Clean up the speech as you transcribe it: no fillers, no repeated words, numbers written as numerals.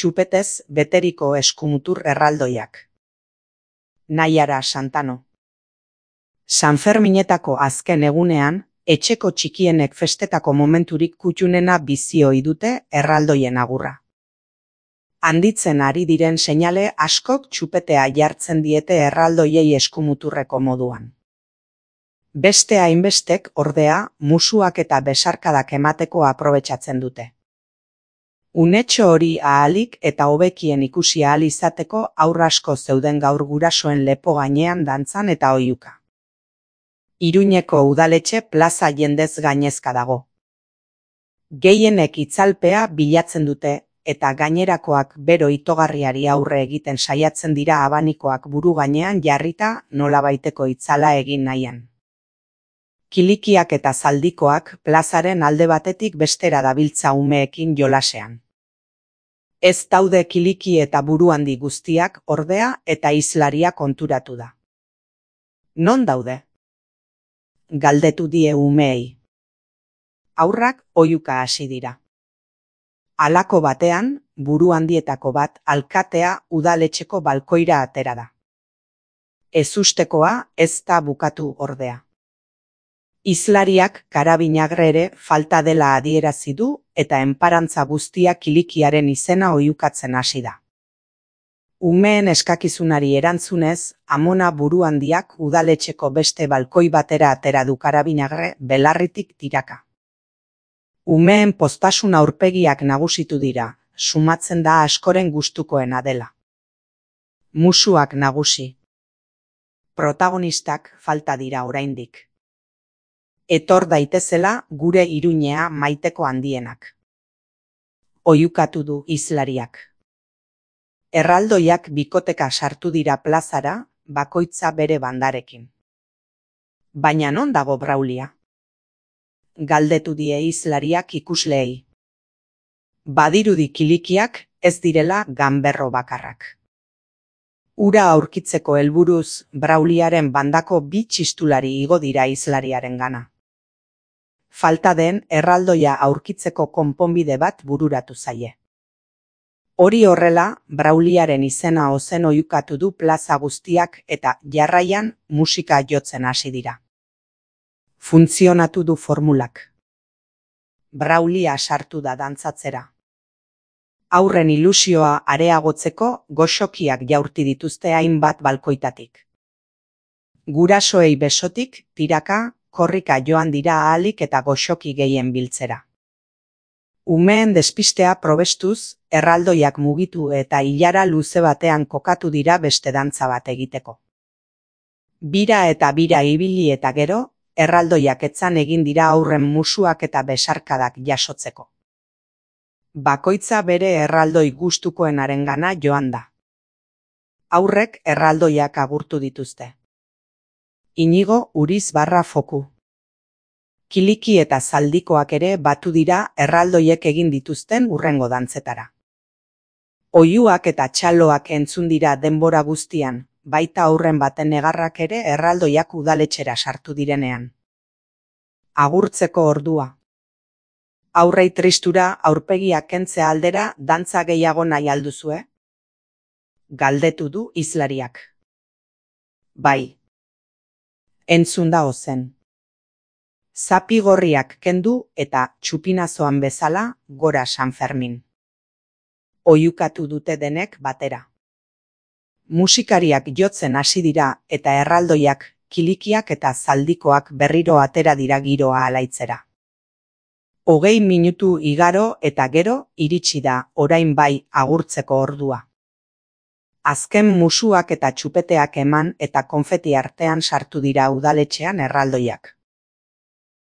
txupetez beteriko eskumutur erraldoiak. Naiara Santano. Sanferminetako azken egunean, etxeko txikienek festetako momenturik kutxunena bizi ohi dute erraldoien agurra. Handitzen ari diren seinale askok txupetea jartzen diete erraldoiei eskumuturreko moduan. Beste hainbestek, ordea, musuak eta besarkadak emateko aprobetxatzen dute. Unetxo hori ahalik eta hobekien ikusi ahal izateko haur asko zeuden gaur gurasoen lepo gainean dantzan eta oihuka. Iruñeko udaletxe plaza jendez gainezka dago. Gehienek itzalpea bilatzen dute eta gainerakoak bero itogarriari aurre egiten saiatzen dira abanikoak buru gainean jarrita nolabaiteko itzala egin nahian. Kilikiak eta zaldikoak plazaren alde batetik bestera dabiltza umeekin jolasean. Ez daude kiliki eta buru handi guztiak ordea eta hizlaria konturatu da. Non daude? Galdetu die umeei. Haurrak oihuka hasi dira. Halako batean, buru handietako bat alkatea udaletxeko balkoira atera da. Ezustekoa ez da bukatu ordea. Hizlariak karabinagre ere falta dela adierazi du eta enparantza guztia kilikiaren izena oihukatzen hasi da. Umeen eskakizunari erantzunez, amona buru handiak udaletxeko beste balkoi batera atera du karabinagre belarritik tiraka. Umeen poztasun aurpegiak nagusitu dira, sumatzen da askoren gustukoena dela. Musuak nagusi. Protagonistak falta dira oraindik. Etor daitezela gure Iruñea maiteko handienak. Oihukatu du hizlariak. Erraldoiak bikoteka sartu dira plazara, bakoitza bere bandarekin. Baina non dago Braulia? Galdetu die hizlariak ikusleei. Badirudi kilikiak ez direla ganberro bakarrak. Ura aurkitzeko helburuz Brauliaren bandako bi txistulari igo dira hizlariarengana. Falta den erraldoia aurkitzeko konponbide bat bururatu zaie. Hori horrela, Brauliaren izena ozen oihukatu du plaza guztiak eta jarraian musika jotzen hasi dira. Funtzionatu du formulak. Braulia sartu da dantzatzera. Aurren ilusioa areagotzeko goxokiak jaurti dituzte hainbat balkoitatik. Gurasoei besotik, tiraka, korrika joan dira ahalik eta goxoki gehien biltzera. Umeen despistea probestuz, erraldoiak mugitu eta ilara luze batean kokatu dira beste dantza bat egiteko. Bira eta bira ibili eta gero, erraldoiak etzan egin dira aurren musuak eta besarkadak jasotzeko. Bakoitza bere erraldoi gustukoenarengana joan da. Aurrek erraldoiak agurtu dituzte. Inigo Uriz Foku. Kiliki eta zaldikoak ere batu dira erraldoiek egin dituzten hurrengo dantzetara. Oihuak eta txaloak entzun dira denbora guztian, baita aurren baten negarrak ere erraldoiak udaletxera sartu direnean. Agurtzeko ordua. Aurrei tristura aurpegiak kentzea aldera dantza gehiago nahi alduzue? Galdetu du hizlariak. Bai. Entzun da ozen. Zapi gorriak kendu eta txupinazoan bezala gora Sanfermin. Oihukatu dute denek batera. Musikariak jotzen hasi dira eta erraldoiak, kilikiak eta zaldikoak berriro atera dira giroa alaitzera. 20 minutu igaro eta gero iritsi da orain bai agurtzeko ordua. Azken musuak eta txupeteak eman eta konfeti artean sartu dira udaletxean erraldoiak.